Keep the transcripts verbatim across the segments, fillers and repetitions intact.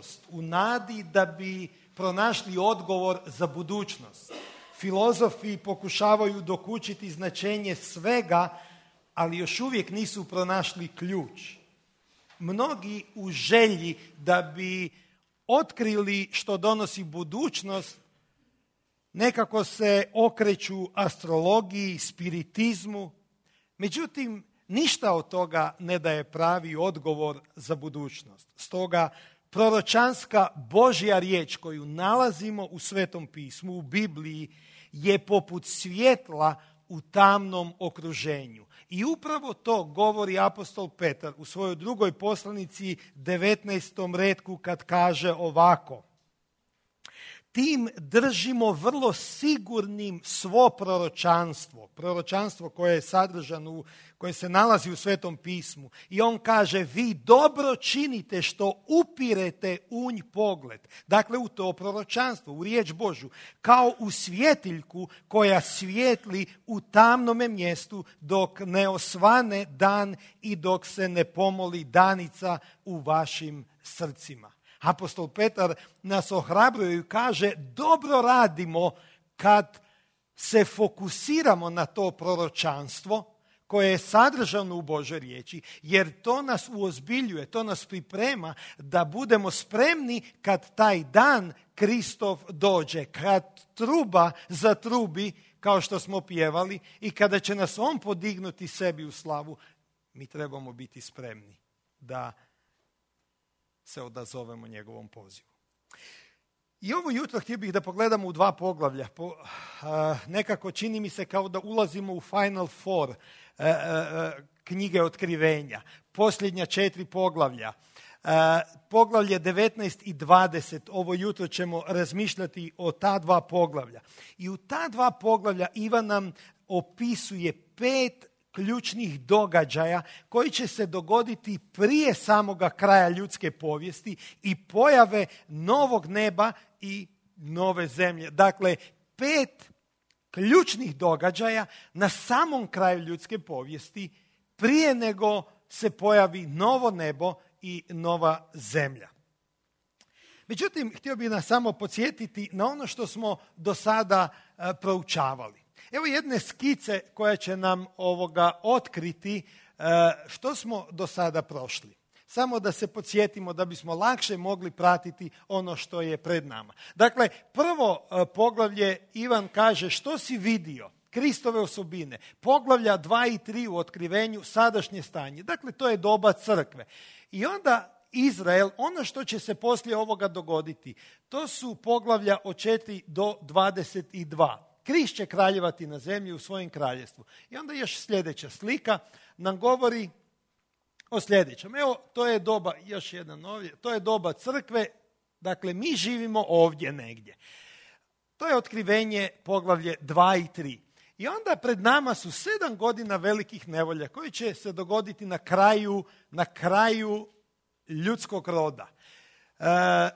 prošlost u nadi da bi pronašli odgovor za budućnost. Filozofi pokušavaju dokučiti značenje svega, ali još uvijek nisu pronašli ključ. Mnogi u želji da bi otkrili što donosi budućnost, nekako se okreću astrologiji, spiritizmu. Međutim, ništa od toga ne daje pravi odgovor za budućnost. Stoga, proročanska Božja riječ koju nalazimo u Svetom pismu, u Bibliji, je poput svjetla u tamnom okruženju. I upravo to govori apostol Petar u svojoj drugoj poslanici devetnaestom retku kad kaže ovako: tim držimo vrlo sigurnim svo proročanstvo, proročanstvo koje je sadržano, koje se nalazi u Svetom pismu. I on kaže, vi dobro činite što upirete u nj pogled. Dakle, u to proročanstvo, u riječ Božju, kao u svjetiljku koja svijetli u tamnome mjestu dok ne osvane dan i dok se ne pomoli danica u vašim srcima. Apostol Petar nas ohrabruje i kaže, dobro radimo kad se fokusiramo na to proročanstvo koje je sadržano u Božoj riječi, jer to nas uozbiljuje, to nas priprema da budemo spremni kad taj dan Kristov dođe, kad truba zatrubi, kao što smo pjevali, i kada će nas on podignuti sebi u slavu, mi trebamo biti spremni da se odazovemo njegovom pozivu. I ovo jutro htio bih da pogledamo u dva poglavlja. Po, a, nekako čini mi se kao da ulazimo u Final Four a, a, knjige Otkrivenja. Posljednja četiri poglavlja. A, poglavlje devetnaest i dvadeset. Ovo jutro ćemo razmišljati o ta dva poglavlja. I u ta dva poglavlja Ivan nam opisuje pet ključnih događaja koji će se dogoditi prije samoga kraja ljudske povijesti i pojave novog neba i nove zemlje. Dakle, pet ključnih događaja na samom kraju ljudske povijesti prije nego se pojavi novo nebo i nova zemlja. Međutim, htio bih nas samo podsjetiti na ono što smo do sada uh, proučavali. Evo jedne skice koja će nam ovoga otkriti što smo do sada prošli. Samo da se podsjetimo da bismo lakše mogli pratiti ono što je pred nama. Dakle, prvo poglavlje Ivan kaže što si vidio, Kristove osobine. Poglavlja dva i tri u Otkrivenju, sadašnje stanje. Dakle, to je doba crkve. I onda Izrael, ono što će se poslije ovoga dogoditi, to su poglavlja od četiri do dvadeset dva. Krist će kraljevati na zemlji u svojem kraljevstvu. I onda još sljedeća slika nam govori o sljedećem. Evo, to je doba, još jedan ovdje, to je doba crkve, dakle mi živimo ovdje negdje. To je Otkrivenje poglavlje dva i tri. I onda pred nama su sedam godina velikih nevolja koji će se dogoditi na kraju, na kraju ljudskog roda. E,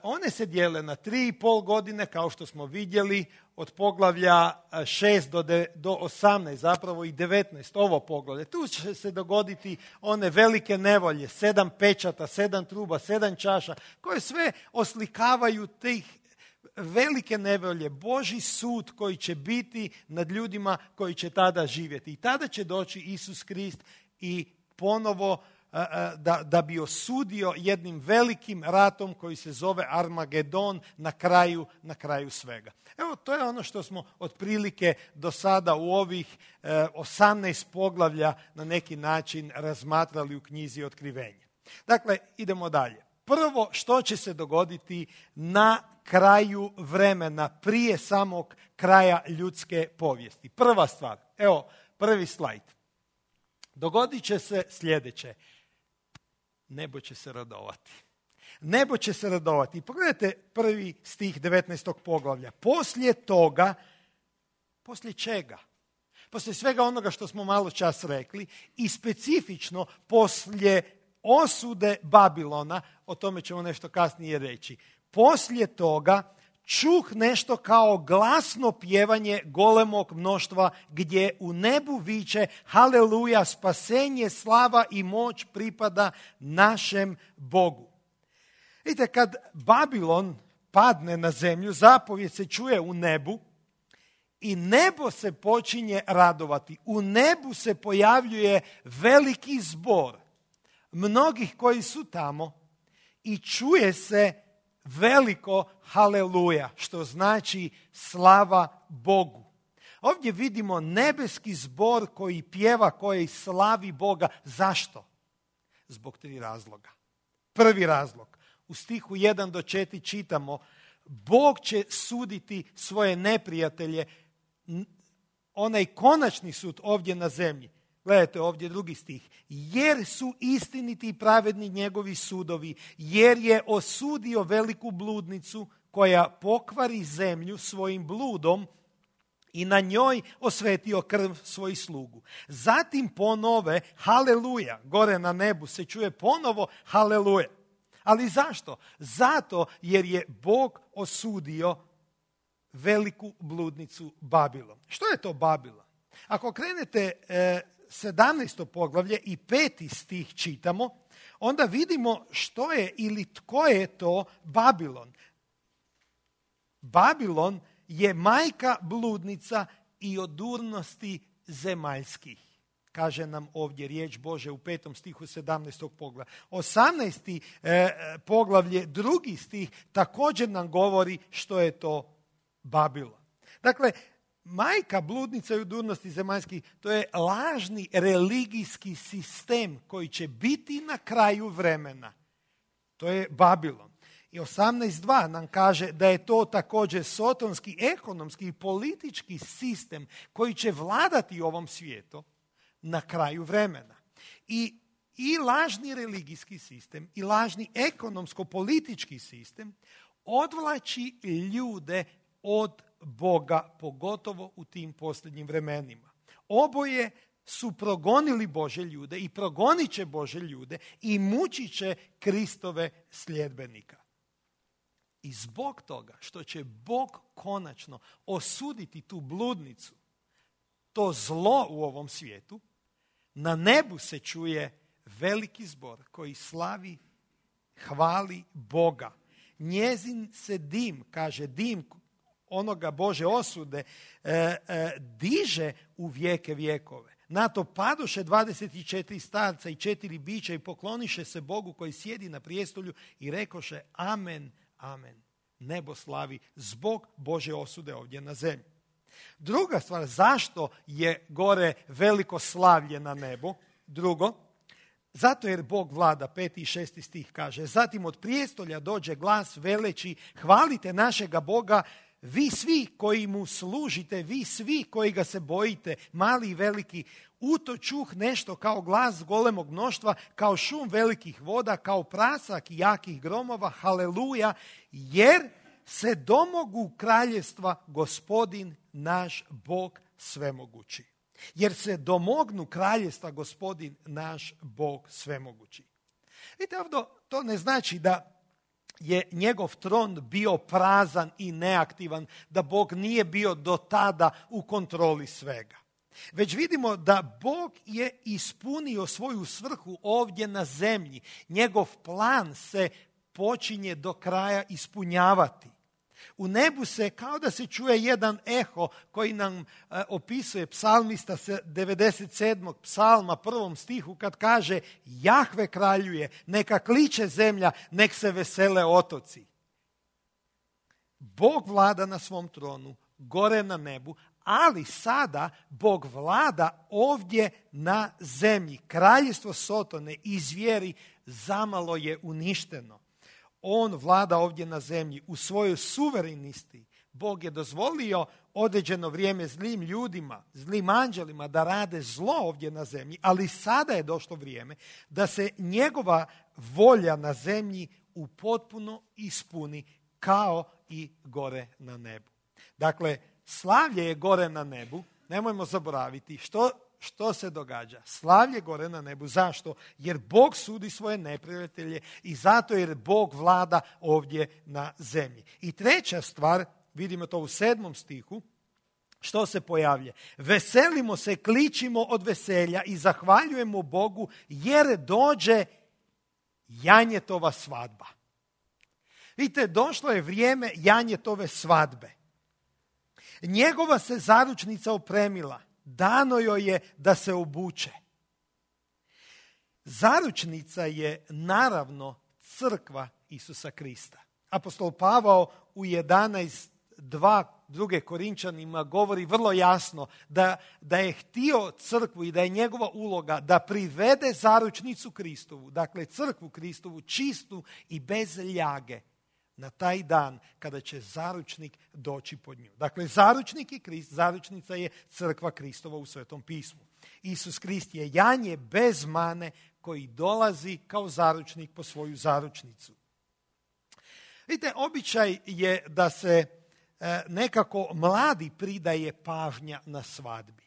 one se dijele na tri i pol godine, kao što smo vidjeli, od poglavlja šest do, de, do osamnaest, zapravo i devetnaest, ovo poglavlje. Tu će se dogoditi one velike nevolje, sedam pečata, sedam truba, sedam čaša, koje sve oslikavaju tih velike nevolje, Božji sud koji će biti nad ljudima koji će tada živjeti. I tada će doći Isus Krist i ponovo Da, da bi osudio jednim velikim ratom koji se zove Armagedon na kraju, na kraju svega. Evo, to je ono što smo otprilike do sada u ovih eh, osamnaest poglavlja na neki način razmatrali u knjizi Otkrivenja. Dakle, idemo dalje. Prvo, što će se dogoditi na kraju vremena, prije samog kraja ljudske povijesti? Prva stvar, evo, prvi slajd. Dogodit će se sljedeće. Nebo će se radovati. Nebo će se radovati. Pogledajte prvi stih devetnaestog poglavlja. Poslije toga, poslije čega? Poslije svega onoga što smo malo čas rekli i specifično poslije osude Babilona, o tome ćemo nešto kasnije reći. Poslije toga čuh nešto kao glasno pjevanje golemog mnoštva gdje u nebu viče haleluja, spasenje, slava i moć pripada našem Bogu. Vidite, kad Babilon padne na zemlju, zapovijed se čuje u nebu i nebo se počinje radovati. U nebu se pojavljuje veliki zbor mnogih koji su tamo i čuje se veliko haleluja, što znači slava Bogu. Ovdje vidimo nebeski zbor koji pjeva, koji slavi Boga. Zašto? Zbog tri razloga. Prvi razlog. U stihu jedan do četiri čitamo: Bog će suditi svoje neprijatelje, onaj konačni sud ovdje na zemlji. Gledajte ovdje drugi stih. Jer su istiniti i pravedni njegovi sudovi, jer je osudio veliku bludnicu koja pokvari zemlju svojim bludom i na njoj osvetio krv svojih slugu. Zatim ponove haleluja, gore na nebu se čuje ponovo haleluja. Ali zašto? Zato jer je Bog osudio veliku bludnicu Babilon. Što je to Babilon? Ako krenete e, sedamnaesto poglavlje i peti stih čitamo, onda vidimo što je ili tko je to Babilon. Babilon je majka bludnica i odurnosti zemaljskih. Kaže nam ovdje riječ Bože u petom stihu sedamnaestog poglavlja. osamnaesti e, poglavlje, drugi stih, također nam govori što je to Babilon. Dakle, majka bludnica i odurnosti zemaljskih, to je lažni religijski sistem koji će biti na kraju vremena. To je Babilon. I osamnaest dva nam kaže da je to također sotonski, ekonomski i politički sistem koji će vladati ovom svijetu na kraju vremena. I, i lažni religijski sistem i lažni ekonomsko-politički sistem odvlači ljude od Boga, pogotovo u tim posljednjim vremenima. Oboje su progonili Bože ljude i progonit će Bože ljude i mučit će Kristove sljedbenika. I zbog toga što će Bog konačno osuditi tu bludnicu, to zlo u ovom svijetu, na nebu se čuje veliki zbor koji slavi, hvali Boga. Njezin se dim, kaže dim onoga Bože osude, e, e, diže u vijeke vjekove. Na to padoše dvadeset četiri starca i četiri bića i pokloniše se Bogu koji sjedi na prijestolju i rekoše amen, amen. Nebo slavi zbog Bože osude ovdje na zemlji. Druga stvar, zašto je gore veliko slavlje na nebu? Drugo, zato jer Bog vlada, peti i šesti stih kaže, zatim od prijestolja dođe glas veleći, hvalite našega Boga, vi svi koji mu služite, vi svi koji ga se bojite, mali i veliki, u to čuh nešto kao glas golemog mnoštva, kao šum velikih voda, kao prasak jakih gromova, haleluja, jer se domogu kraljevstva Gospodin naš Bog svemogući. Jer se domognu kraljevstva Gospodin naš Bog svemogući. Vidite, ovdje to ne znači da je njegov tron bio prazan i neaktivan, da Bog nije bio do tada u kontroli svega. Već vidimo da Bog je ispunio svoju svrhu ovdje na zemlji. Njegov plan se počinje do kraja ispunjavati. U nebu se kao da se čuje jedan eho koji nam e, opisuje psalmista devedeset sedmog psalma prvom stihu kad kaže Jahve kraljuje, neka kliče zemlja, nek se vesele otoci. Bog vlada na svom tronu, gore na nebu, ali sada Bog vlada ovdje na zemlji. Kraljevstvo Sotone i zvijeri zamalo je uništeno. On vlada ovdje na zemlji u svojoj suverenisti. Bog je dozvolio određeno vrijeme zlim ljudima, zlim anđelima da rade zlo ovdje na zemlji, ali sada je došlo vrijeme da se njegova volja na zemlji u potpuno ispuni kao i gore na nebu. Dakle, slavlje je gore na nebu, nemojmo zaboraviti što Što se događa? Slavlje gore na nebu. Zašto? Jer Bog sudi svoje neprijatelje i zato jer Bog vlada ovdje na zemlji. I treća stvar, vidimo to u sedmom stihu, što se pojavlja? Veselimo se, kličimo od veselja i zahvaljujemo Bogu jer dođe janjetova svadba. Vidite, došlo je vrijeme janjetove svadbe. Njegova se zaručnica opremila. Dano joj je da se obuče. Zaručnica je naravno crkva Isusa Krista. Apostol Pavao u jedanaest dva druge Korinčanima govori vrlo jasno da, da je htio crkvu i da je njegova uloga da privede zaručnicu Kristovu, dakle crkvu Kristovu, čistu i bez ljage, na taj dan kada će zaručnik doći pod nju. Dakle, zaručnik je Krist, zaručnica je crkva Kristova u Svetom pismu. Isus Krist je janje bez mane koji dolazi kao zaručnik po svoju zaručnicu. Vidite, običaj je da se e, nekako mladi pridaje pažnja na svadbi.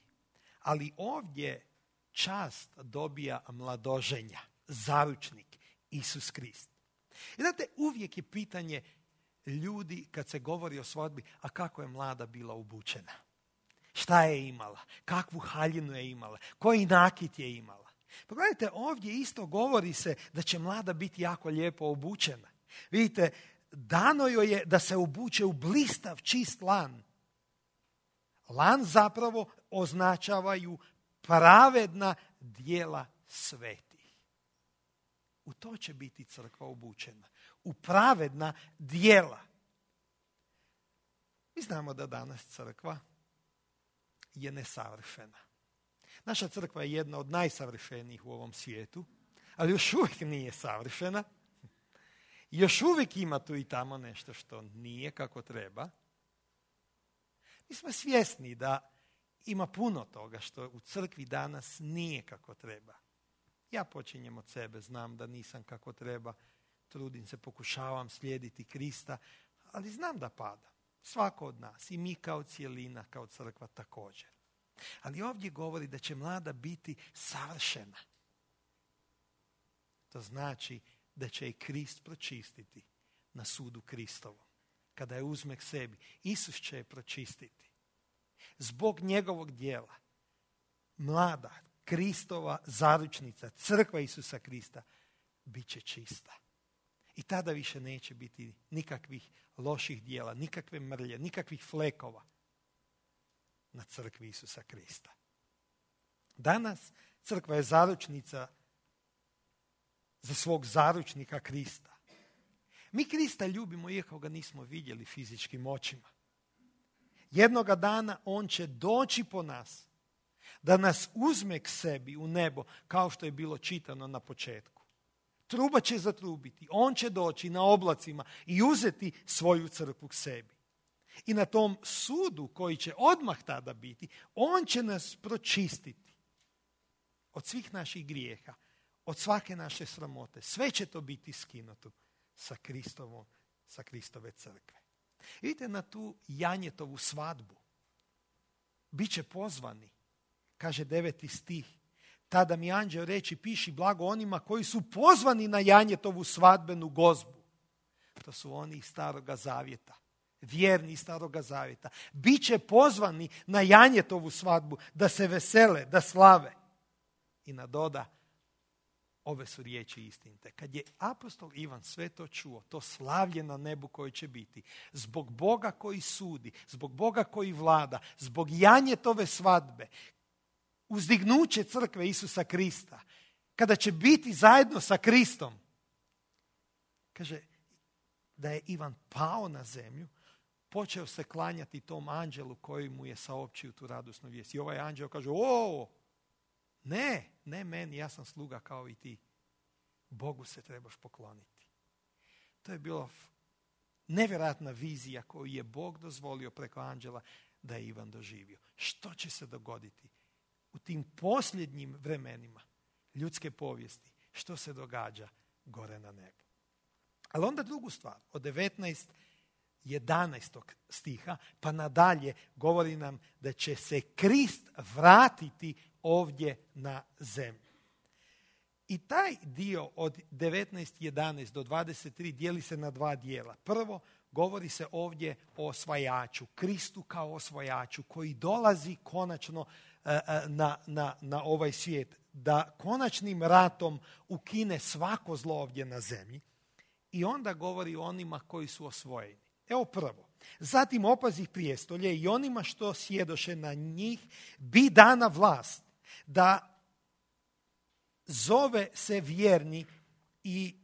Ali ovdje čast dobija mladoženja, zaručnik, Isus Krist. I znate, uvijek je pitanje ljudi kad se govori o svadbi, a kako je mlada bila obučena? Šta je imala? Kakvu haljinu je imala? Koji nakit je imala? Pogledajte, ovdje isto govori se da će mlada biti jako lijepo obučena. Vidite, dano joj je da se obuče u blistav, čist lan. Lan zapravo označavaju pravedna djela svetih. U to će biti crkva obučena. U pravedna djela. Mi znamo da danas crkva je nesavršena. Naša crkva je jedna od najsavršenijih u ovom svijetu, ali još uvijek nije savršena. Još uvijek ima tu i tamo nešto što nije kako treba. Mi smo svjesni da ima puno toga što u crkvi danas nije kako treba. Ja počinjem od sebe, znam da nisam kako treba, trudim se, pokušavam slijediti Krista, ali znam da pada. Svako od nas, i mi kao cijelina, kao crkva također. Ali ovdje govori da će mlada biti savršena. To znači da će je Krist pročistiti na sudu Kristovom. Kada je uzme k sebi, Isus će je pročistiti. Zbog njegovog djela, mlada, Kristova zaručnica, crkva Isusa Krista, bit će čista. I tada više neće biti nikakvih loših djela, nikakve mrlje, nikakvih flekova na crkvi Isusa Krista. Danas crkva je zaručnica za svog zaručnika Krista. Mi Krista ljubimo iako ga nismo vidjeli fizičkim očima. Jednoga dana on će doći po nas da nas uzme k sebi u nebo kao što je bilo čitano na početku. Truba će zatrubiti, on će doći na oblacima i uzeti svoju crkvu k sebi. I na tom sudu koji će odmah tada biti, on će nas pročistiti od svih naših grijeha, od svake naše sramote. Sve će to biti skinuto sa Kristovom, sa Kristove crkve. Vidite na tu janjetovu svadbu. Biće pozvani, kaže deveti stih. Tada mi anđeo reći, piši blago onima koji su pozvani na janjetovu svadbenu gozbu. To su oni iz Staroga zavjeta. Vjerni iz Staroga zavjeta. Biće pozvani na janjetovu svadbu da se vesele, da slave. I nadoda, ove su riječi istinite. Kad je apostol Ivan sve to čuo, to slavlje na nebu koje će biti, zbog Boga koji sudi, zbog Boga koji vlada, zbog janjetove svadbe, uzdignuće crkve Isusa Krista, kada će biti zajedno sa Kristom, kaže da je Ivan pao na zemlju, počeo se klanjati tom anđelu koji mu je saopćio tu radosnu vijest. I ovaj anđeo kaže, o, ne, ne meni, ja sam sluga kao i ti. Bogu se trebaš pokloniti. To je bila nevjerojatna vizija koju je Bog dozvolio preko anđela da je Ivan doživio. Što će se dogoditi u tim posljednjim vremenima ljudske povijesti? Što se događa gore na nebu? Ali onda drugu stvar, od devetnaest jedanaestog stiha pa nadalje govori nam da će se Krist vratiti ovdje na zemlju. I taj dio od devetnaest jedanaest do dvadeset tri dijeli se na dva dijela. Prvo, govori se ovdje o osvajaču, Kristu kao osvajaču koji dolazi konačno uh, na, na, na ovaj svijet, da konačnim ratom ukine svako zlo ovdje na zemlji. i onda govori o onima koji su osvojeni. Evo prvo. Zatim opazih prijestolje i onima što sjedoše na njih bi dana vlast da zove se vjerni i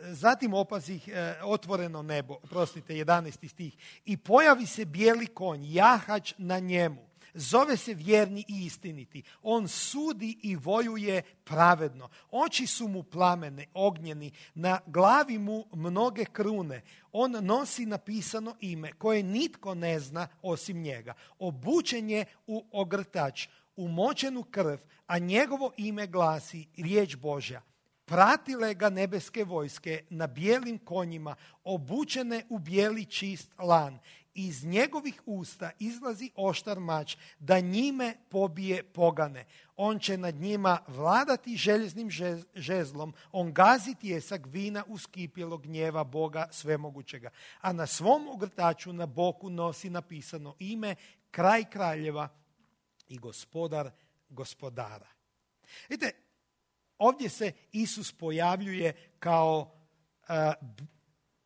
zatim opazih otvoreno nebo, prostite, jedanaesti stih, i pojavi se bijeli konj, jahač na njemu. Zove se vjerni i istiniti. On sudi i vojuje pravedno. Oči su mu plamene, ognjeni, na glavi mu mnoge krune. On nosi napisano ime koje nitko ne zna osim njega. Obučen je u ogrtač, umočenu krv, a njegovo ime glasi riječ Božja. Pratile ga nebeske vojske na bijelim konjima, obučene u bijeli čist lan. Iz njegovih usta izlazi oštar mač, da njime pobije pogane. On će nad njima vladati željeznim žezlom, on gazi tijesak vina uskipjelog gnjeva Boga svemogućega. A na svom ogrtaču na boku nosi napisano ime, kraj kraljeva i gospodar gospodara. Vidite, ovdje se Isus pojavljuje kao uh,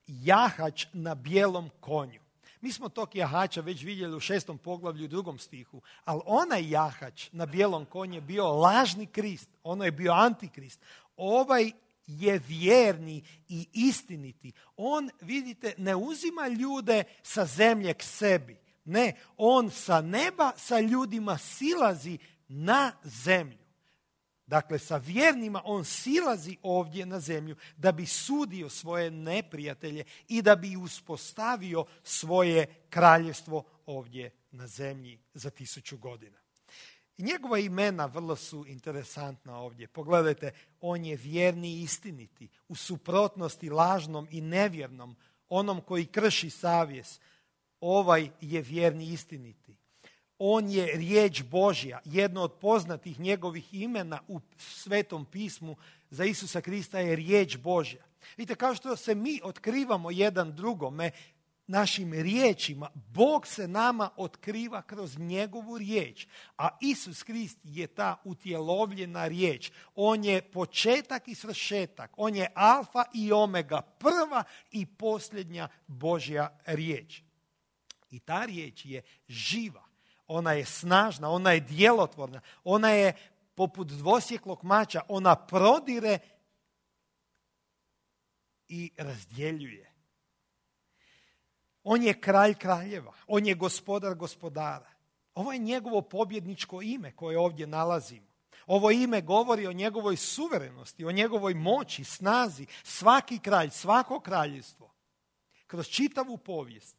jahač na bijelom konju. Mi smo tog jahača već vidjeli u šestom poglavlju u drugom stihu, ali onaj jahač na bijelom konju je bio lažni Krist, ono je bio antikrist. Ovaj je vjerni i istiniti. On, vidite, ne uzima ljude sa zemlje k sebi. Ne, on sa neba sa ljudima silazi na zemlju. Dakle, sa vjernima on silazi ovdje na zemlju da bi sudio svoje neprijatelje i da bi uspostavio svoje kraljevstvo ovdje na zemlji za tisuću godina. I njegova imena vrlo su interesantna ovdje. Pogledajte, on je vjerni i istiniti, u suprotnosti lažnom i nevjernom, onom koji krši savjest. Ovaj je vjerni i istiniti. On je riječ Božja, jedno od poznatih njegovih imena u Svetom pismu za Isusa Krista je riječ Božja. Vidite, kao što se mi otkrivamo jedan drugome našim riječima, Bog se nama otkriva kroz njegovu riječ, a Isus Krist je ta utjelovljena riječ. On je početak i svršetak, on je alfa i omega, prva i posljednja Božja riječ. I ta riječ je živa. Ona je snažna, ona je djelotvorna, ona je poput dvosjeklog mača, ona prodire i razdjeljuje. On je kralj kraljeva, on je gospodar gospodara. Ovo je njegovo pobjedničko ime koje ovdje nalazimo. Ovo ime govori o njegovoj suverenosti, o njegovoj moći, snazi. Svaki kralj, svako kraljevstvo, kroz čitavu povijest,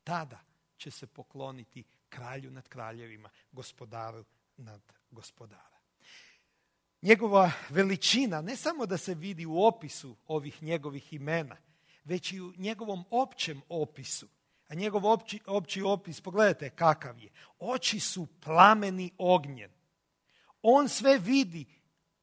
tada će se pokloniti kralju nad kraljevima, gospodaru nad gospodara. Njegova veličina ne samo da se vidi u opisu ovih njegovih imena, već i u njegovom općem opisu. A njegov opći, opći opis, pogledajte kakav je. Oči su plameni ognjen. On sve vidi,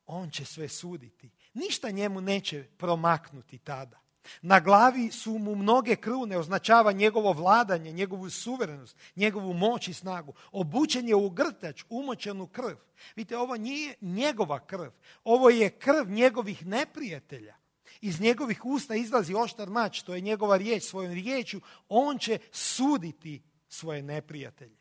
on će sve suditi. Ništa njemu neće promaknuti tada. Na glavi su mu mnoge krune, označava njegovo vladanje, njegovu suverenost, njegovu moć i snagu. Obučen je u grtač, umočenu krv. Vidite, ovo nije njegova krv. Ovo je krv njegovih neprijatelja. Iz njegovih usta izlazi oštar mač, to je njegova riječ. Svojom riječju on će suditi svoje neprijatelje.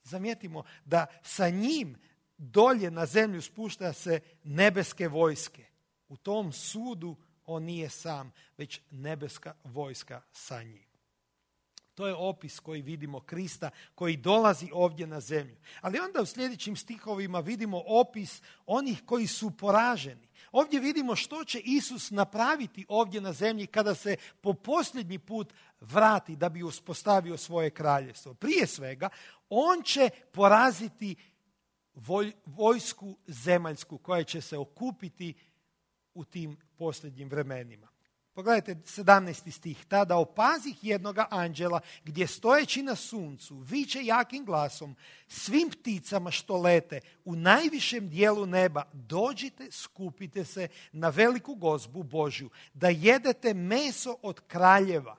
Zamijetimo da sa njim dolje na zemlju spušta se nebeske vojske. U tom sudu on nije sam, već nebeska vojska sa njim. To je opis koji vidimo Krista, koji dolazi ovdje na zemlju. Ali onda u sljedećim stihovima vidimo opis onih koji su poraženi. Ovdje vidimo što će Isus napraviti ovdje na zemlji kada se po posljednji put vrati da bi uspostavio svoje kraljevstvo. Prije svega, on će poraziti voj, vojsku zemaljsku koja će se okupiti u tim posljednjim vremenima. Pogledajte sedamnaesti stih. Tada opazih jednoga anđela gdje stojeći na suncu viče jakim glasom svim pticama što lete u najvišem dijelu neba, dođite, skupite se na veliku gozbu Božju, da jedete meso od kraljeva,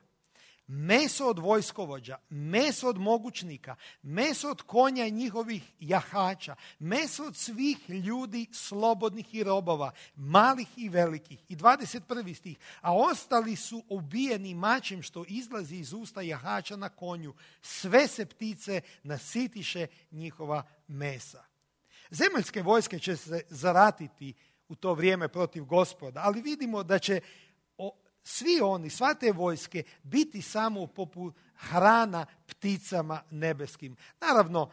meso od vojskovođa, meso od mogućnika, meso od konja i njihovih jahača, meso od svih ljudi slobodnih i robova, malih i velikih. I dvadeset prvi stih. A ostali su ubijeni mačem što izlazi iz usta jahača na konju. Sve se ptice nasitiše njihova mesa. Zemaljske vojske će se zaratiti u to vrijeme protiv Gospoda, ali vidimo da će svi oni, sva te vojske, biti samo poput hrana pticama nebeskim. Naravno,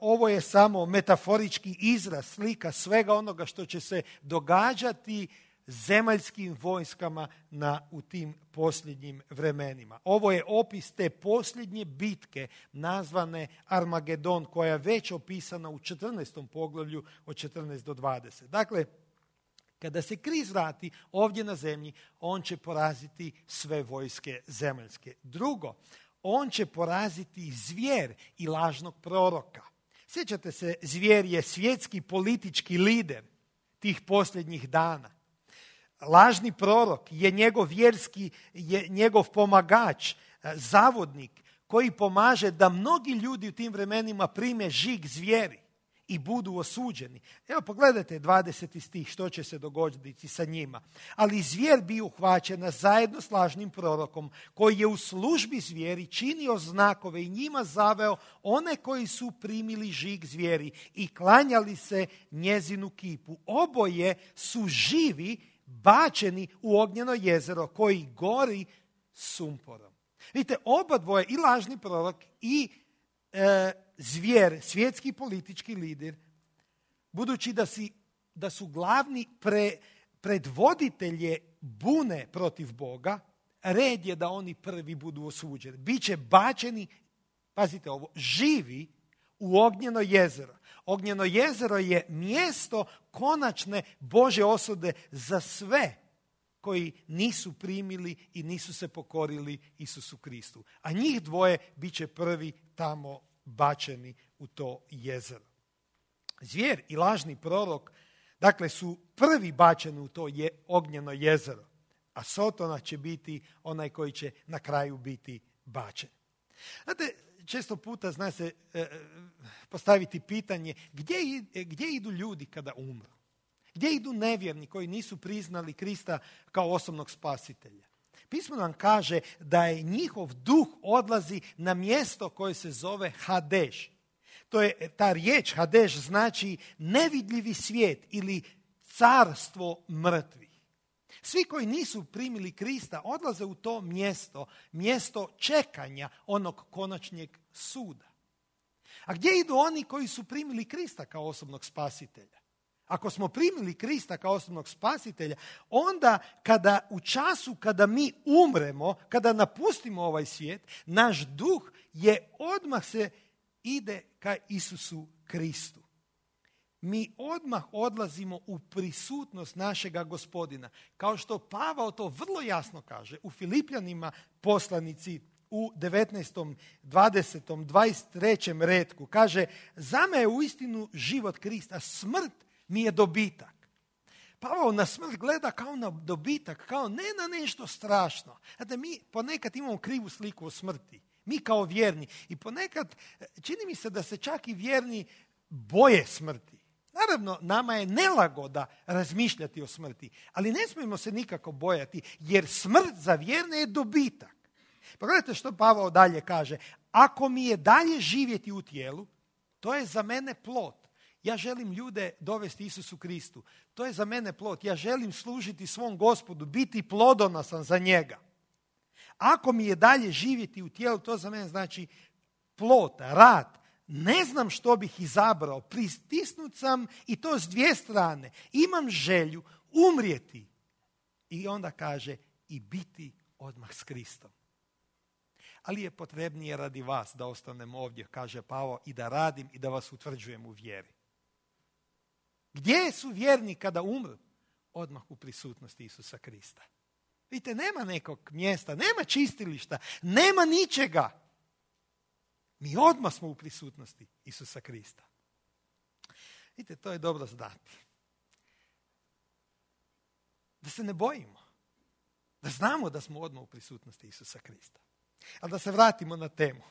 ovo je samo metaforički izraz, slika svega onoga što će se događati zemaljskim vojskama na, u tim posljednjim vremenima. Ovo je opis te posljednje bitke nazvane Armagedon, koja je već opisana u četrnaestom poglavlju od četrnaest do dvadeset. Dakle, kada se Krist vrati ovdje na zemlji, on će poraziti sve vojske zemaljske. Drugo, on će poraziti zvijer i lažnog proroka. Sjećate se, zvijer je svjetski politički lider tih posljednjih dana. Lažni prorok je njegov vjerski, je njegov pomagač, zavodnik koji pomaže da mnogi ljudi u tim vremenima prime žig zvijeri i budu osuđeni. Evo pogledajte dvadeseti stih što će se dogoditi sa njima. Ali zvijer bi uhvaćena zajedno s lažnim prorokom koji je u službi zvijeri činio znakove i njima zaveo one koji su primili žig zvijeri i klanjali se njezinu kipu. Oboje su živi bačeni u ognjeno jezero koji gori sumporom. Vidite, oba dvoje, i lažni prorok i e, zvijer, svjetski politički lider, budući da, si, da su glavni pre, predvoditelje bune protiv Boga, red je da oni prvi budu osuđeni. Biće bačeni, pazite ovo, živi u ognjeno jezero. Ognjeno jezero je mjesto konačne Božje osude za sve koji nisu primili i nisu se pokorili Isusu Kristu. A njih dvoje bit će prvi tamo bačeni u to jezero. Zvijer i lažni prorok, dakle, su prvi bačeni u to je, ognjeno jezero, a Sotona će biti onaj koji će na kraju biti bačen. Znate, često puta zna se e, postaviti pitanje gdje, gdje idu ljudi kada umru? Gdje idu nevjerni koji nisu priznali Krista kao osobnog spasitelja? Pismo nam kaže da je njihov duh odlazi na mjesto koje se zove Hadeš. To je, ta riječ Hadeš znači nevidljivi svijet ili carstvo mrtvih. Svi koji nisu primili Krista odlaze u to mjesto, mjesto čekanja onog konačnjeg suda. A gdje idu oni koji su primili Krista kao osobnog spasitelja? Ako smo primili Krista kao osobnog spasitelja, onda kada u času kada mi umremo, kada napustimo ovaj svijet, naš duh je odmah se ide ka Isusu Kristu. Mi odmah odlazimo u prisutnost našega Gospodina. Kao što Pavao to vrlo jasno kaže u Filipljanima poslanici u devetnaestom, dvadesetom, dvadeset trećem retku. Kaže, za me je uistinu život Krista, smrt mi je dobitak. Pavao na smrt gleda kao na dobitak, kao ne na nešto strašno. Znate, mi ponekad imamo krivu sliku o smrti. Mi kao vjerni. I ponekad čini mi se da se čak i vjerni boje smrti. Naravno, nama je nelagoda razmišljati o smrti, ali ne smijemo se nikako bojati, jer smrt za vjerne je dobitak. Pogledajte što Pavao dalje kaže. Ako mi je dalje živjeti u tijelu, to je za mene plod. Ja želim ljude dovesti Isusu Kristu. To je za mene plod. Ja želim služiti svom Gospodu, biti plodonosan za njega. Ako mi je dalje živjeti u tijelu, to za mene znači plod, rad. Ne znam što bih izabrao. Pristisnut sam i to s dvije strane. Imam želju umrijeti. I onda kaže i biti odmah s Kristom. Ali je potrebnije radi vas da ostanem ovdje, kaže Pavao, i da radim i da vas utvrđujem u vjeri. Gdje su vjerni kada umru? Odmah u prisutnosti Isusa Krista. Vidite, nema nekog mjesta, nema čistilišta, nema ničega. Mi odmah smo u prisutnosti Isusa Krista. Vidite, to je dobro znati. Da se ne bojimo. Da znamo da smo odmah u prisutnosti Isusa Krista. Ali da se vratimo na temu.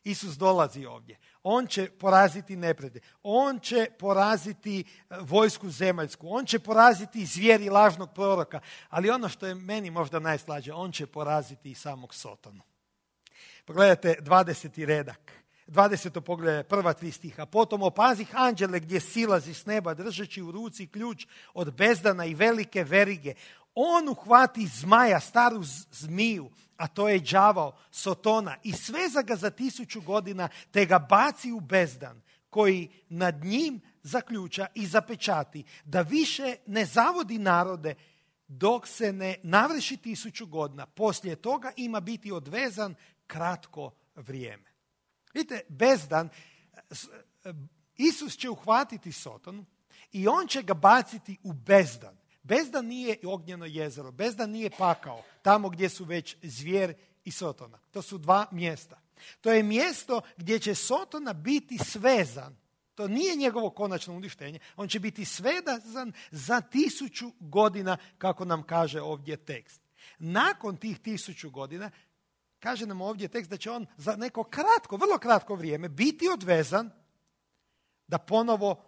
Isus dolazi ovdje. On će poraziti neprijatelje. On će poraziti vojsku zemaljsku. On će poraziti zvijeri lažnog proroka. Ali ono što je meni možda najslađe, on će poraziti i samog Sotonu. Pogledajte dvadeseti redak. dvadeseto poglavlje, prva tri stiha. Potom opazih anđele gdje silazi s neba držeći u ruci ključ od bezdana i velike verige. On uhvati zmaja, staru zmiju, a to je đavao, Sotona, i sveza ga za tisuću godina, te ga baci u bezdan, koji nad njim zaključa i zapečati, da više ne zavodi narode dok se ne navrši tisuću godina. Poslije toga ima biti odvezan kratko vrijeme. Vidite, bezdan, Isus će uhvatiti Sotonu i on će ga baciti u bezdan. Bezdan nije ognjeno jezero, bezdan nije pakao, tamo gdje su već zvijer i Sotona. To su dva mjesta. To je mjesto gdje će Sotona biti svezan. To nije njegovo konačno uništenje. On će biti svezan za tisuću godina, kako nam kaže ovdje tekst. Nakon tih tisuću godina, kaže nam ovdje tekst da će on za neko kratko, vrlo kratko vrijeme biti odvezan da ponovo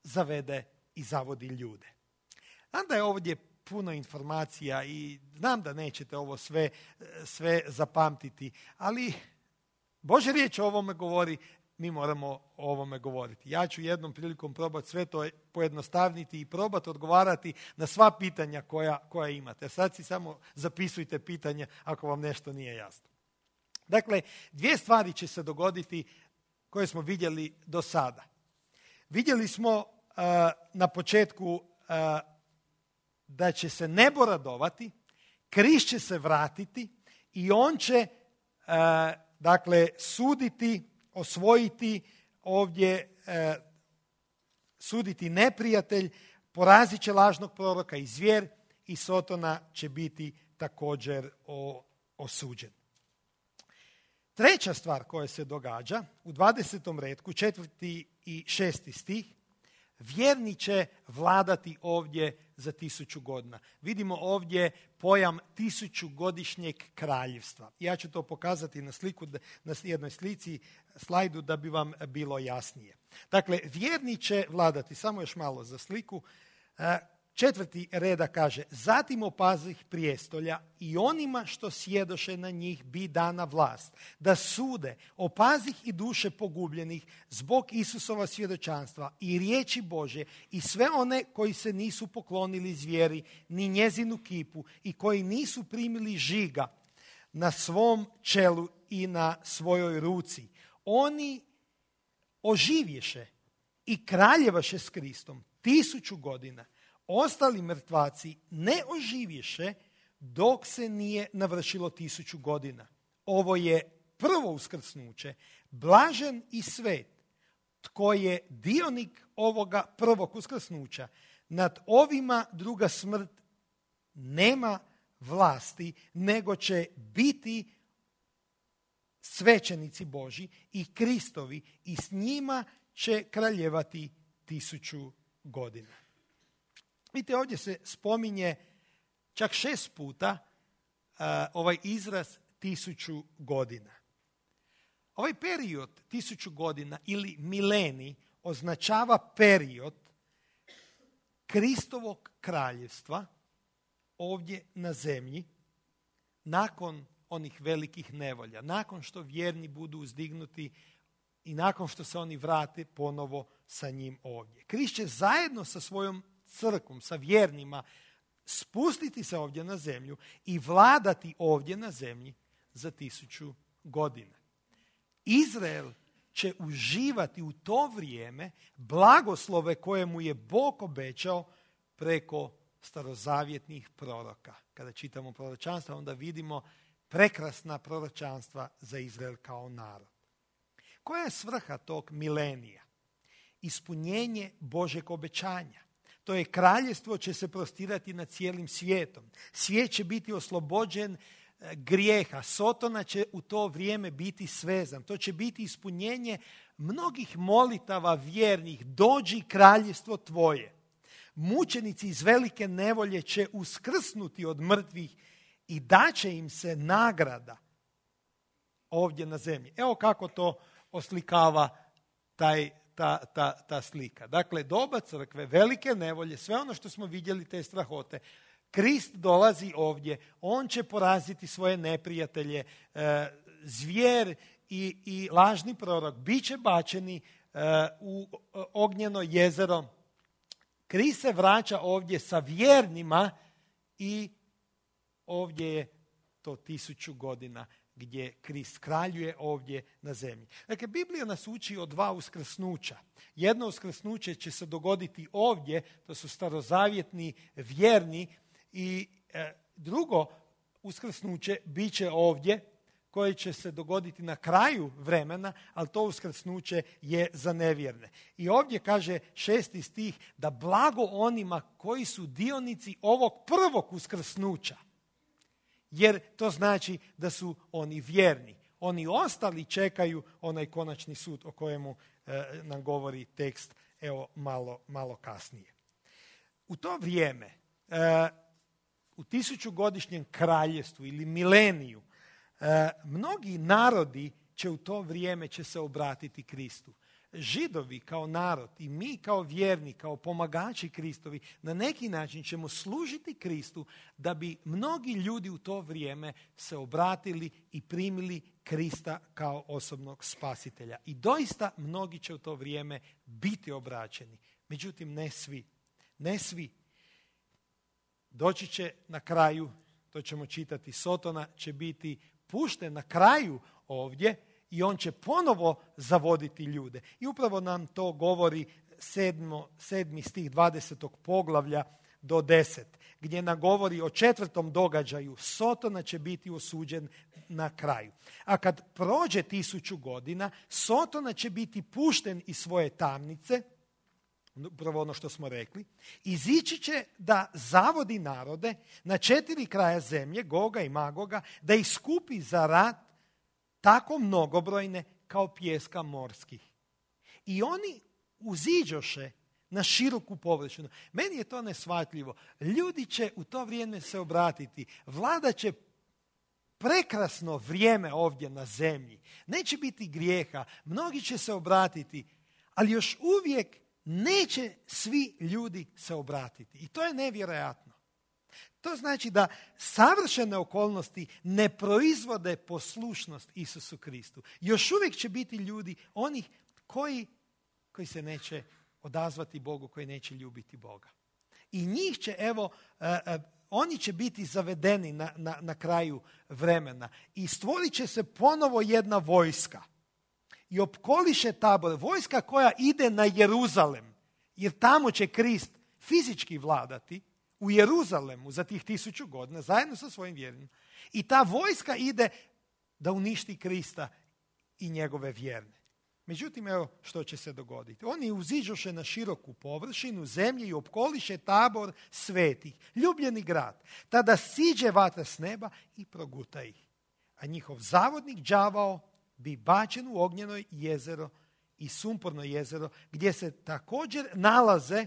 zavede i zavodi ljude. Znam da je ovdje puno informacija i znam da nećete ovo sve, sve zapamtiti, ali Božja riječ o ovome govori, mi moramo o ovome govoriti. Ja ću jednom prilikom probati sve to pojednostavniti i probati odgovarati na sva pitanja koja, koja imate. Sad si samo zapisujte pitanje ako vam nešto nije jasno. Dakle, dvije stvari će se dogoditi koje smo vidjeli do sada. Vidjeli smo uh, na početku uh, da će se nebo radovati, križ će se vratiti i on će uh, dakle suditi, osvojiti ovdje, uh, suditi neprijatelj, porazit će lažnog proroka i zvijer i Sotona će biti također o, osuđen. Treća stvar koja se događa u dvadesetom retku, četvrti i šesti stih, vjerni će vladati ovdje za tisuću godina. Vidimo ovdje pojam tisućugodišnjeg kraljevstva. Ja ću to pokazati na sliku, na jednoj slici, slajdu da bi vam bilo jasnije. Dakle, vjerni će vladati, samo još malo za sliku. Četvrti reda kaže, zatim opazih prijestolja i onima što sjedoše na njih bi dana vlast, da sude, opazih i duše pogubljenih zbog Isusova svjedočanstva i riječi Bože i sve one koji se nisu poklonili zvijeri ni njezinu kipu i koji nisu primili žiga na svom čelu i na svojoj ruci. Oni oživješe i kraljevaše s Kristom tisuću godina. Ostali mrtvaci ne oživješe dok se nije navršilo tisuću godina. Ovo je prvo uskrsnuće, blažen i svet, tko je dionik ovoga prvog uskrsnuća. Nad ovima druga smrt nema vlasti, nego će biti svećenici Božji i Kristovi i s njima će kraljevati tisuću godina. Vidite, ovdje se spominje čak šest puta uh, ovaj izraz tisuću godina. Ovaj period tisuću godina ili milenij označava period Kristovog kraljevstva ovdje na zemlji nakon onih velikih nevolja, nakon što vjerni budu uzdignuti i nakon što se oni vrate ponovo sa njim ovdje. Krist će zajedno sa svojom crkvom, sa vjernima, spustiti se ovdje na zemlju i vladati ovdje na zemlji za tisuću godina. Izrael će uživati u to vrijeme blagoslove koje mu je Bog obećao preko starozavjetnih proroka. Kada čitamo proročanstva, onda vidimo prekrasna proročanstva za Izrael kao narod. Koja je svrha tog milenija? Ispunjenje Božeg obećanja. To je kraljevstvo će se prostirati nad cijelim svijetom. Svijet će biti oslobođen grijeha. Sotona će u to vrijeme biti svezan. To će biti ispunjenje mnogih molitava vjernih. Dođi kraljevstvo tvoje. Mučenici iz velike nevolje će uskrsnuti od mrtvih i daće im se nagrada ovdje na zemlji. Evo kako to oslikava taj, ta, ta, ta slika. Dakle, doba crkve, velike nevolje, sve ono što smo vidjeli, te strahote. Krist dolazi ovdje, on će poraziti svoje neprijatelje, e, zvijer i, i lažni prorok bit će bačeni e, u ognjeno jezero. Krist se vraća ovdje sa vjernima i ovdje je to tisuću godina gdje Krist kraljuje ovdje na zemlji. Dakle, Biblija nas uči o dva uskrsnuća. Jedno uskrsnuće će se dogoditi ovdje, to su starozavjetni vjerni, i e, drugo uskrsnuće bit će ovdje, koje će se dogoditi na kraju vremena, ali to uskrsnuće je za nevjerne. I ovdje kaže šesti stih da blago onima koji su dionici ovog prvog uskrsnuća. Jer to znači da su oni vjerni. Oni ostali čekaju onaj konačni sud o kojemu e, nam govori tekst evo malo, malo kasnije. U to vrijeme, e, u tisućugodišnjem kraljevstvu ili mileniju, e, mnogi narodi će u to vrijeme će se obratiti Kristu. Židovi kao narod i mi kao vjerni, kao pomagači Kristovi, na neki način ćemo služiti Kristu da bi mnogi ljudi u to vrijeme se obratili i primili Krista kao osobnog spasitelja. I doista mnogi će u to vrijeme biti obraćeni. Međutim, ne svi. Ne svi. Doći će na kraju, to ćemo čitati, Sotona će biti pušten na kraju ovdje, i on će ponovo zavoditi ljude. I upravo nam to govori sedmo, sedmi stih dvadesetog poglavlja do deset, gdje nam govori o četvrtom događaju. Sotona će biti osuđen na kraju. A kad prođe tisuću godina, Sotona će biti pušten iz svoje tamnice, upravo ono što smo rekli, izići će da zavodi narode na četiri kraja zemlje, Goga i Magoga, da ih skupi za rat, tako mnogobrojne kao pijeska morskih. I oni uziđoše na široku površinu. Meni je to neshvatljivo. Ljudi će u to vrijeme se obratiti. Vlada će prekrasno vrijeme ovdje na zemlji. Neće biti grijeha. Mnogi će se obratiti. Ali još uvijek neće svi ljudi se obratiti. I to je nevjerojatno. To znači da savršene okolnosti ne proizvode poslušnost Isusu Kristu. Još uvijek će biti ljudi, onih koji, koji se neće odazvati Bogu, koji neće ljubiti Boga. I njih će, evo, uh, uh, oni će biti zavedeni na, na, na kraju vremena. I stvorit će se ponovo jedna vojska. I opkoliše tabor, vojska koja ide na Jeruzalem. Jer tamo će Krist fizički vladati. U Jeruzalemu za tih tisuću godina, zajedno sa svojim vjernima. I ta vojska ide da uništi Krista i njegove vjerne. Međutim, evo što će se dogoditi. Oni uziđoše na široku površinu zemlje i opkoliše tabor svetih, ljubljeni grad. Tada siđe vatra s neba i proguta ih. A njihov zavodnik đavao bi bačen u ognjeno jezero i sumporno jezero, gdje se također nalaze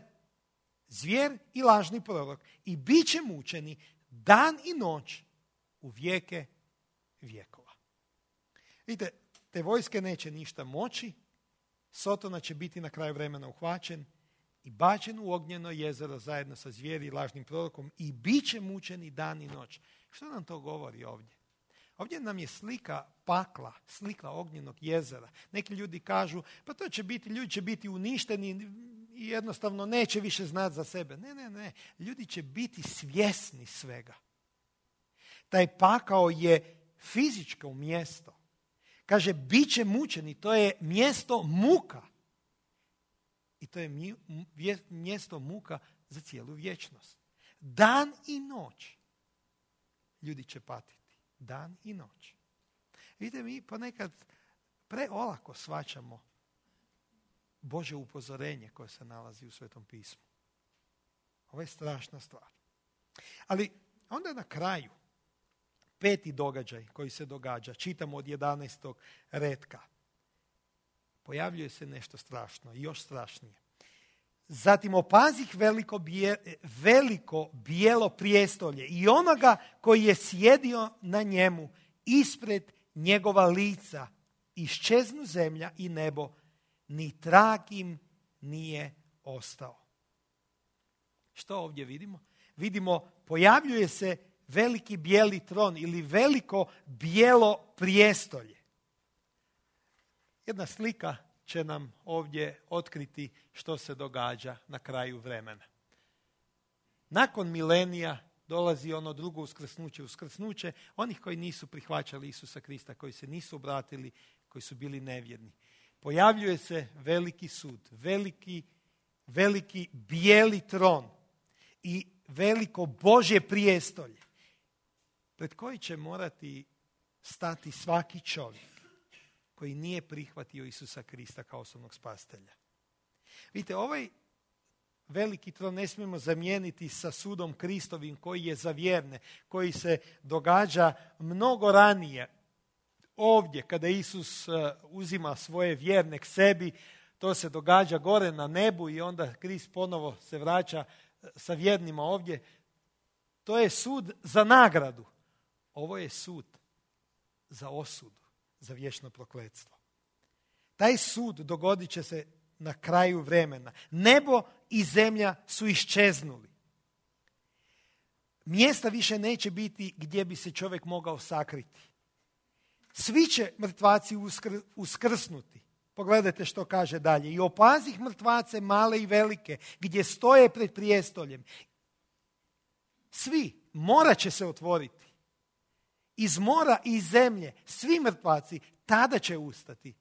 zvijer i lažni prorok, i bit će mučeni dan i noć u vijeke vjekova. Vidite, te vojske neće ništa moći, Sotona će biti na kraju vremena uhvaćen i bačen u ognjeno jezero zajedno sa zvijeri i lažnim prorokom, i bit će mučeni dan i noć. Što nam to govori ovdje? Ovdje nam je slika pakla, slika ognjenog jezera. Neki ljudi kažu, pa to će biti, ljudi će biti uništeni i jednostavno neće više znati za sebe. Ne, ne, ne. Ljudi će biti svjesni svega. Taj pakao je fizičko mjesto. Kaže, bit će mučeni, to je mjesto muka. I to je mjesto muka za cijelu vječnost. Dan i noć ljudi će patiti. Dan i noć. Vidite, mi ponekad preolako shvaćamo Božje upozorenje koje se nalazi u Svetom pismu. Ovo je strašna stvar. Ali onda na kraju, peti događaj koji se događa, čitamo od jedanaestog retka. Pojavljuje se nešto strašno i još strašnije. Zatim opazih veliko, bije, veliko bijelo prijestolje i onoga koji je sjedio na njemu ispred njegova lica, iščeznu zemlja i nebo, ni trag im nije ostao. Što ovdje vidimo? Vidimo, pojavljuje se veliki bijeli tron ili veliko bijelo prijestolje. Jedna slika će nam ovdje otkriti što se događa na kraju vremena. Nakon milenija dolazi ono drugo uskrsnuće, uskrsnuće onih koji nisu prihvaćali Isusa Krista, koji se nisu obratili, koji su bili nevjerni. Pojavljuje se veliki sud, veliki, veliki bijeli tron i veliko Božje prijestolje pred koji će morati stati svaki čovjek koji nije prihvatio Isusa Krista kao osobnog spasitelja. Vidite, ovaj veliki tron ne smijemo zamijeniti sa sudom Kristovim koji je za vjerne, koji se događa mnogo ranije. Ovdje, kada Isus uzima svoje vjerne k sebi, to se događa gore na nebu i onda Krist ponovo se vraća sa vjernima ovdje. To je sud za nagradu. Ovo je sud za osudu, za vječno prokletstvo. Taj sud dogodit će se na kraju vremena. Nebo i zemlja su iščeznuli. Mjesta više neće biti gdje bi se čovjek mogao sakriti. Svi će mrtvaci uskr, uskrsnuti. Pogledajte što kaže dalje. I opazih mrtvace male i velike, gdje stoje pred prijestoljem. Svi, mora će se otvoriti. Iz mora i iz zemlje, svi mrtvaci tada će ustati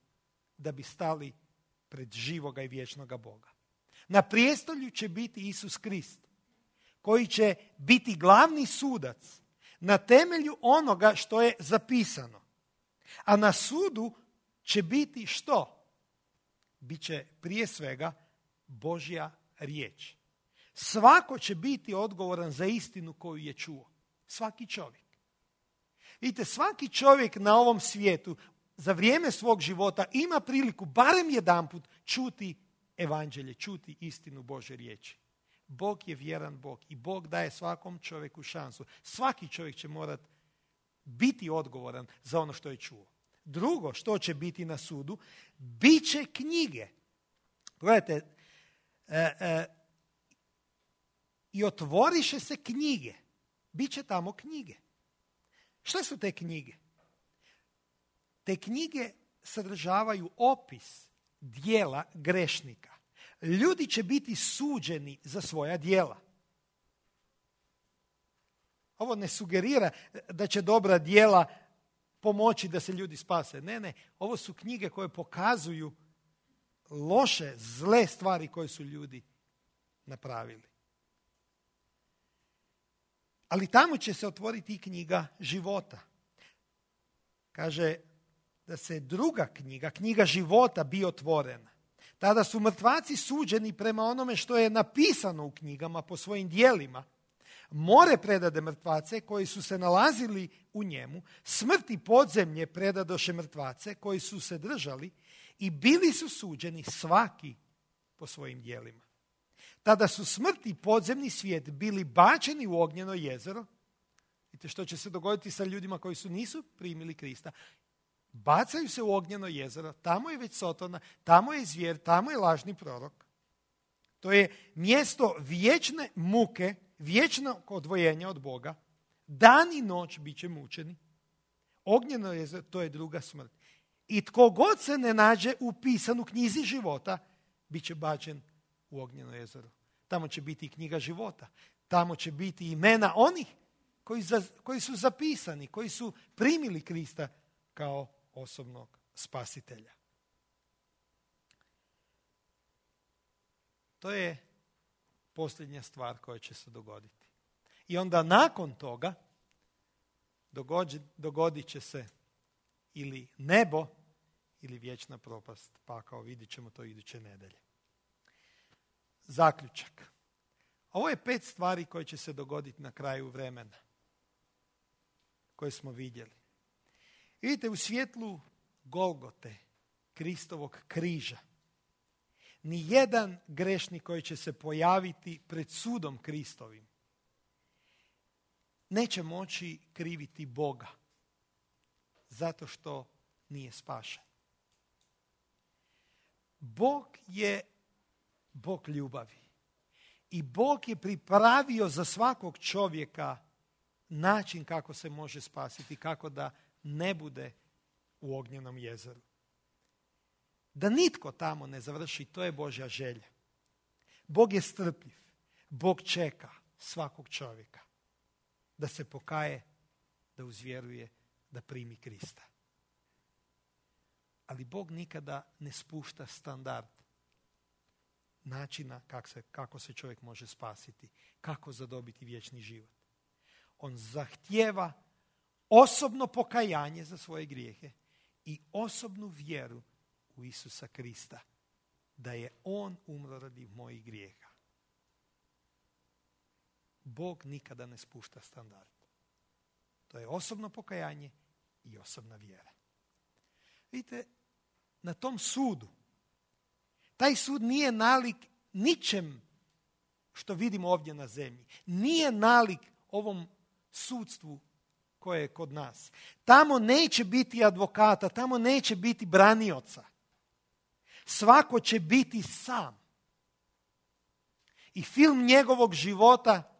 da bi stali pred živoga i vječnoga Boga. Na prijestolju će biti Isus Krist, koji će biti glavni sudac na temelju onoga što je zapisano. A na sudu će biti što? Biće prije svega Božja riječ. Svako će biti odgovoran za istinu koju je čuo. Svaki čovjek. Vidite, svaki čovjek na ovom svijetu za vrijeme svog života ima priliku barem jedanput čuti evanđelje, čuti istinu Božje riječi. Bog je vjeran Bog i Bog daje svakom čovjeku šansu. Svaki čovjek će morati biti odgovoran za ono što je čuo. Drugo, što će biti na sudu, bit će knjige. Gledajte, e, e, i otvoriše se knjige. Biće tamo knjige. Što su te knjige? Te knjige sadržavaju opis dijela grešnika. Ljudi će biti suđeni za svoja djela. Ovo ne sugerira da će dobra djela pomoći da se ljudi spase. Ne, ne. Ovo su knjige koje pokazuju loše, zle stvari koje su ljudi napravili. Ali tamo će se otvoriti i knjiga života. Kaže da se druga knjiga, knjiga života, bi otvorena. Tada su mrtvaci suđeni prema onome što je napisano u knjigama po svojim djelima. More predade mrtvace koji su se nalazili u njemu, smrt i podzemlje predadoše mrtvace koji su se držali i bili su suđeni svaki po svojim djelima. Tada su smrt i podzemni svijet bili bačeni u ognjeno jezero. Vidite što će se dogoditi sa ljudima koji su nisu primili Krista. Bacaju se u ognjeno jezero, tamo je već Sotona, tamo je zvijer, tamo je lažni prorok. To je mjesto vječne muke, vječnog odvojenja od Boga. Dan i noć bit će mučeni. Ognjeno jezero, to je druga smrt. I tko god se ne nađe upisan u knjizi života, bit će bačen u ognjeno jezero. Tamo će biti i knjiga života. Tamo će biti imena onih koji, za, koji su zapisani, koji su primili Krista kao osobnog spasitelja. To je posljednja stvar koja će se dogoditi. I onda nakon toga dogodit, dogodit će se ili nebo ili vječna propast. Pa kao vidit ćemo to iduće nedelje. Zaključak. Ovo je pet stvari koje će se dogoditi na kraju vremena. Koje smo vidjeli. Vidite, u svjetlu Golgote, Kristovog križa, ni jedan grešnik koji će se pojaviti pred sudom Kristovim neće moći kriviti Boga zato što nije spašen. Bog je Bog ljubavi. I Bog je pripravio za svakog čovjeka način kako se može spasiti, kako da ne bude u ognjenom jezeru. Da nitko tamo ne završi, to je Božja želja. Bog je strpljiv. Bog čeka svakog čovjeka da se pokaje, da uzvjeruje, da primi Krista. Ali Bog nikada ne spušta standard načina kako se, kako se čovjek može spasiti, kako zadobiti vječni život. On zahtijeva osobno pokajanje za svoje grijehe i osobnu vjeru u Isusa Krista, da je on umro radi mojih grijeha. Bog nikada ne spušta standard. To je osobno pokajanje i osobna vjera. Vidite, na tom sudu, taj sud nije nalik ničem što vidimo ovdje na zemlji. Nije nalik ovom sudstvu koje je kod nas. Tamo neće biti advokata, tamo neće biti branioca. Svako će biti sam. I film njegovog života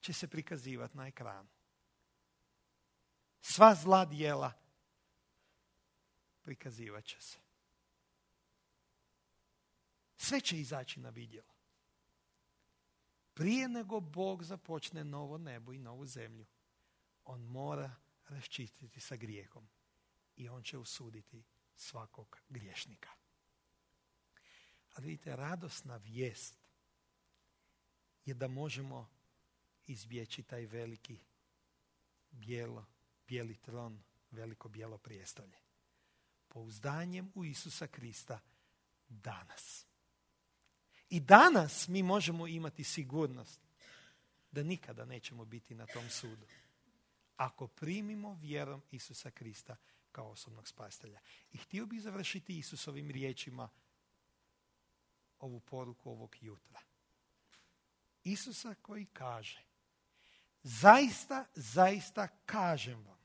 će se prikazivati na ekranu. Sva zla djela prikazivat će se. Sve će izaći na vidjelo. Prije nego Bog započne novo nebo i novu zemlju, on mora raščistiti sa grijehom i on će osuditi svakog griješnika. Ali vidite, radosna vijest je da možemo izbjeći taj veliki bijelo, bijeli tron, veliko bijelo prijestolje. Pouzdanjem u Isusa Krista danas. I danas mi možemo imati sigurnost da nikada nećemo biti na tom sudu. Ako primimo vjerom Isusa Krista kao osobnog spasitelja. I htio bih završiti Isusovim riječima ovu poruku ovog jutra. Isusa koji kaže: zaista, zaista kažem vam,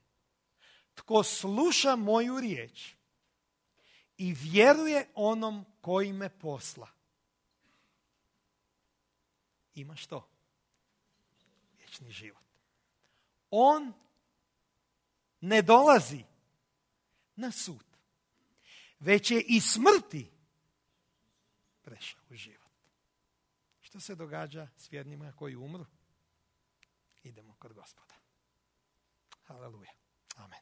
tko sluša moju riječ i vjeruje onom koji me posla, ima što? Vječni život. On ne dolazi na sud, već je iz smrti prešao u život. Što se događa s vjernima koji umru? Idemo kod Gospoda. Haleluja. Amen.